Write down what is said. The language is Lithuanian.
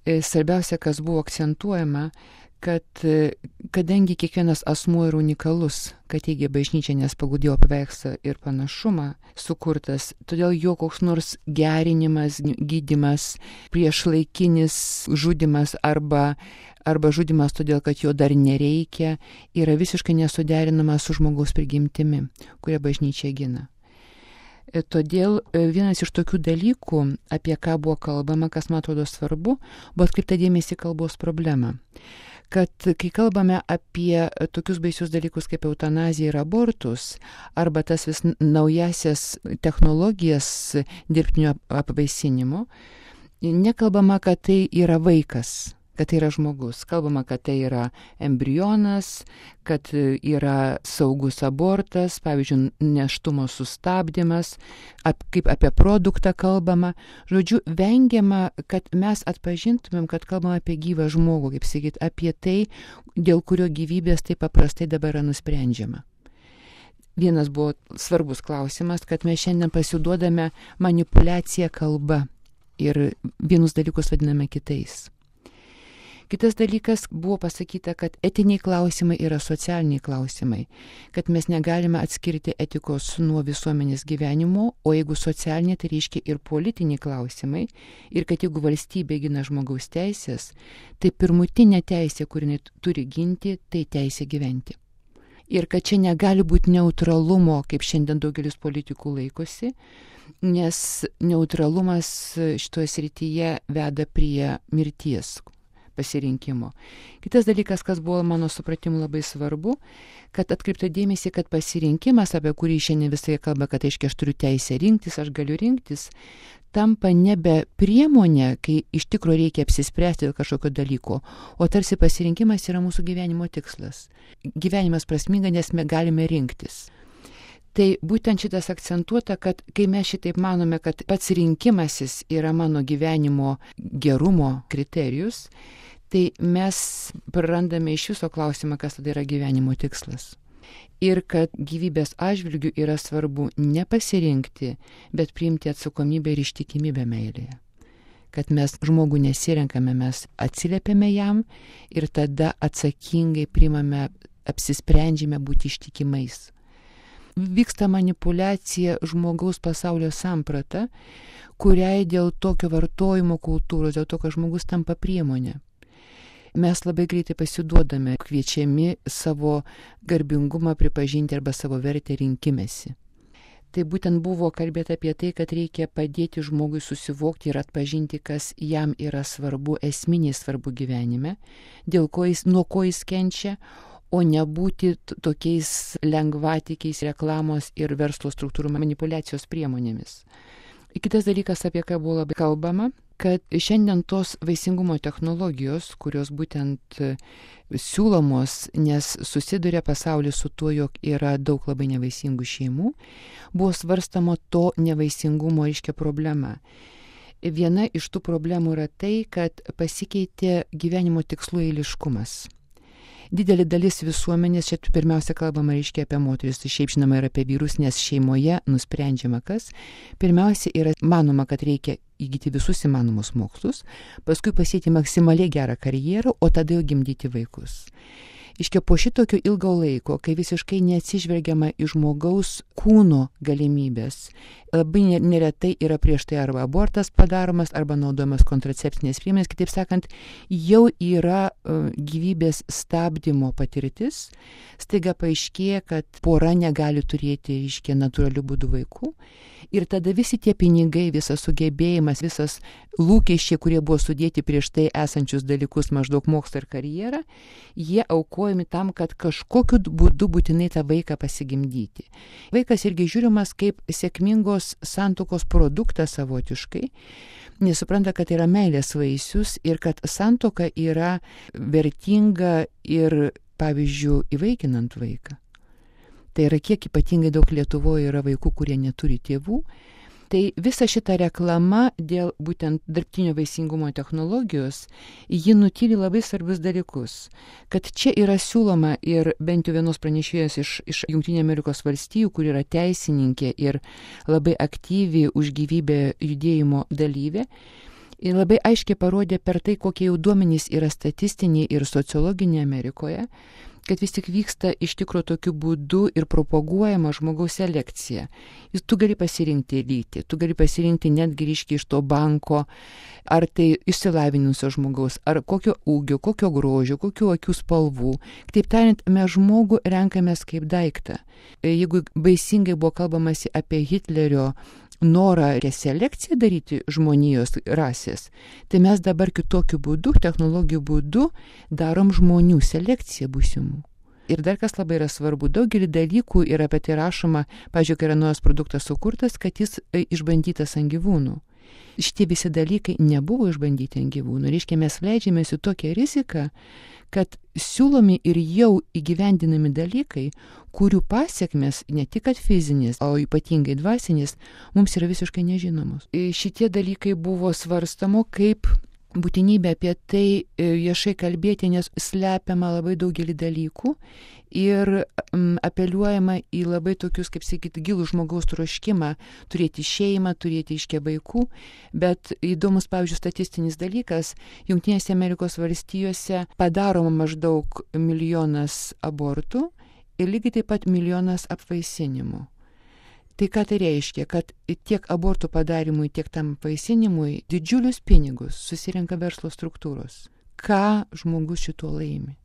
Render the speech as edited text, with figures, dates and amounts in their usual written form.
Svarbiausia, kas buvo akcentuojama, kad kadangi kiekvienas asmuo yra unikalus, kad teigia bažnyčia, nes pagal Dievo paveikslą ir panašumą sukurtas, todėl jo koks nors gerinimas, gydymas, priešlaikinis žudimas arba žudimas todėl, kad jo dar nereikia, yra visiškai nesuderinamas su žmogaus prigimtimi, kurią bažnyčia gina. Todėl vienas iš tokių dalykų, apie ką buvo kalbama, kas man atrodo svarbu, buvo atkreipta dėmesį į kalbos problemą. Kad kai kalbame apie tokius baisius dalykus kaip eutanazija ir abortus, arba tas vis naujasias technologijas dirbtinio apvaisinimo, nekalbama, kad tai yra vaikas, kad tai yra žmogus. Kalbama, kad tai yra embrionas, kad yra saugus abortas, pavyzdžiui, nėštumo sustabdymas, kaip apie produktą kalbama. Žodžiu, vengiama, kad mes atpažintumėm, kad kalbama apie gyvą žmogų, kaip sakyt, apie tai, dėl kurio gyvybės taip paprastai dabar yra nusprendžiama. Vienas buvo svarbus klausimas, kad mes šiandien pasiduodame manipuliaciją kalba ir vienus dalykus vadiname kitais. Kitas dalykas buvo pasakyta, kad etiniai klausimai yra socialiniai klausimai, kad mes negalime atskirti etikos nuo visuomenės gyvenimo, o jeigu socialiniai, tai reiškia ir politiniai klausimai, ir kad jeigu valstybė gina žmogaus teisės, tai pirmutinė teisė, kuri turi ginti, tai teisė gyventi. Ir kad čia negali būti neutralumo, kaip šiandien daugelis politikų laikosi, nes neutralumas šitoje srityje veda prie mirties pasirinkimo. Kitas dalykas, kas buvo mano supratimu labai svarbu, kad atkreipta dėmesį, kad pasirinkimas, apie kurį šiandien visai kalba, kad aiškiai aš turiu teisę rinktis, aš galiu rinktis, tampa nebe priemonė, kai iš tikrųjų reikia apsispręsti dėl kažkokio dalyko, o tarsi pasirinkimas yra mūsų gyvenimo tikslas. Gyvenimas prasminga, nes mes galime rinktis. Tai būtent šitas akcentuota, kad kai mes šitaip manome, kad pats rinkimasis yra mano gyvenimo gerumo kriterijus, tai mes prarandame iš viso klausimą, kas tada yra gyvenimo tikslas. Ir kad gyvybės atžvilgių yra svarbu ne pasirinkti, bet priimti atsakomybę ir ištikimybę meilėje. Kad mes žmogų nesirenkame, mes atsiliepiame jam ir tada atsakingai priimame, apsisprendžiame būti ištikimais. Vyksta manipuliacija žmogaus pasaulio samprata, kuriai dėl tokio vartojimo kultūros, dėl to, kad žmogus tampa priemonė. Mes labai greitai pasiduodame, kviečiami savo garbingumą pripažinti arba savo vertę rinkimėsi. Tai būtent buvo kalbėta apie tai, kad reikia padėti žmogui susivokti ir atpažinti, kas jam yra svarbu, esminiai svarbu gyvenime, nuo ko jis kenčia, o nebūti tokiais lengvatikiais reklamos ir verslo struktūrų manipuliacijos priemonėmis. Kitas dalykas, apie ką buvo labai kalbama, kad šiandien tos vaisingumo technologijos, kurios būtent siūlomos, nes susiduria pasaulis su tuo, jog yra daug labai nevaisingų šeimų, buvo svarstama to nevaisingumo reiškia problema. Viena iš tų problemų yra tai, kad pasikeitė gyvenimo tikslų eiliškumas. Didelė dalis visuomenės, čia pirmiausia kalbama reiškia apie moteris, šiaip žinoma ir apie vyrus, nes šeimoje nusprendžiama kas. Pirmiausia yra manoma, kad reikia įgyti visus įmanomus mokslus, paskui pasiekti maksimaliai gerą karjerą, o tada jau gimdyti vaikus. Iškia po šitokio ilgo laiko, kai visiškai neatsižvelgiama į žmogaus kūno galimybės, labai neretai yra prieš tai arba abortas padaromas, arba naudojamas kontracepcinės priemonės, kitaip sakant, jau yra gyvybės stabdymo patirtis, staiga paaiškėja, kad pora negali turėti, iškia, natūralių būdų vaikų, ir tada visi tie pinigai, visas sugebėjimas, visas lūkesčiai, kurie buvo sudėti prieš tai esančius dalykus, maždaug mokslą ir karjerą, jie aukojami tam, kad kažkokiu būdu būtinai tą vaiką pasigimdyti. Vaikas irgi žiūrimas kaip sėkmingos santuokos produktas savotiškai, nes supranta, kad yra meilės vaisius ir kad santuoka yra vertinga ir, pavyzdžiui, įvaikinant vaiką. Tai yra, kiek ypatingai daug Lietuvoje yra vaikų, kurie neturi tėvų. Tai visa šita reklama dėl būtent dirbtinio vaisingumo technologijos, ji nutyli labai svarbius dalykus. Kad čia yra siūloma ir bent jau vienos pranešėjos iš Jungtinių Amerikos valstijų, kur yra teisininkė ir labai aktyvi už gyvybę judėjimo dalyvė, Ir labai aiškiai parodė per tai, kokie jau duomenys yra statistiniai ir sociologiniai Amerikoje, kad vis tik vyksta iš tikro tokiu būdu ir propaguojama žmogaus selekcija. Tu gali pasirinkti lytį, tu gali pasirinkti netgi ryškiai iš to banko, ar tai išsilavinusio žmogaus, ar kokio ūgio, kokio grožio, kokių akių spalvų. Kitaip tariant, mes žmogų renkamės kaip daiktą. Jeigu baisingai buvo kalbamasi apie Hitlerio norą reselekciją daryti žmonijos rasės, tai mes dabar kitokiu būdu, technologijų būdu darom žmonių selekciją būsimų. Ir dar kas labai yra svarbu, daugelį dalykų yra apie tai rašoma, pavyzdžiui, kai yra naujas produktas sukurtas, kad jis išbandytas ant gyvūnų. Šitie visi dalykai nebuvo išbandyti ant gyvūnų. Reiškia, mes leidžiamės į tokią riziką, kad siūlomi ir jau įgyvendinami dalykai, kurių pasiekmes ne tik kad fizinės, o ypatingai dvasinės, mums yra visiškai nežinomos. Šitie dalykai buvo svarstamo kaip būtinybė apie tai viešai kalbėti, nes slepiama labai daugelį dalykų ir apeliuojama į labai tokius, kaip sakyti, gilų žmogaus troškimą turėti šeimą, turėti iškę vaikų, bet įdomus, pavyzdžiui, statistinis dalykas, Jungtinėse Amerikos valstijose padaroma maždaug 1 milijonas abortų ir lygiai taip pat 1 milijonas apvaisinimų. Tai ką tai reiškia, kad tiek abortų padarimui, tiek tam apvaisinimui didžiulius pinigus susirenka verslo struktūros. Ką žmogus šituo laimi?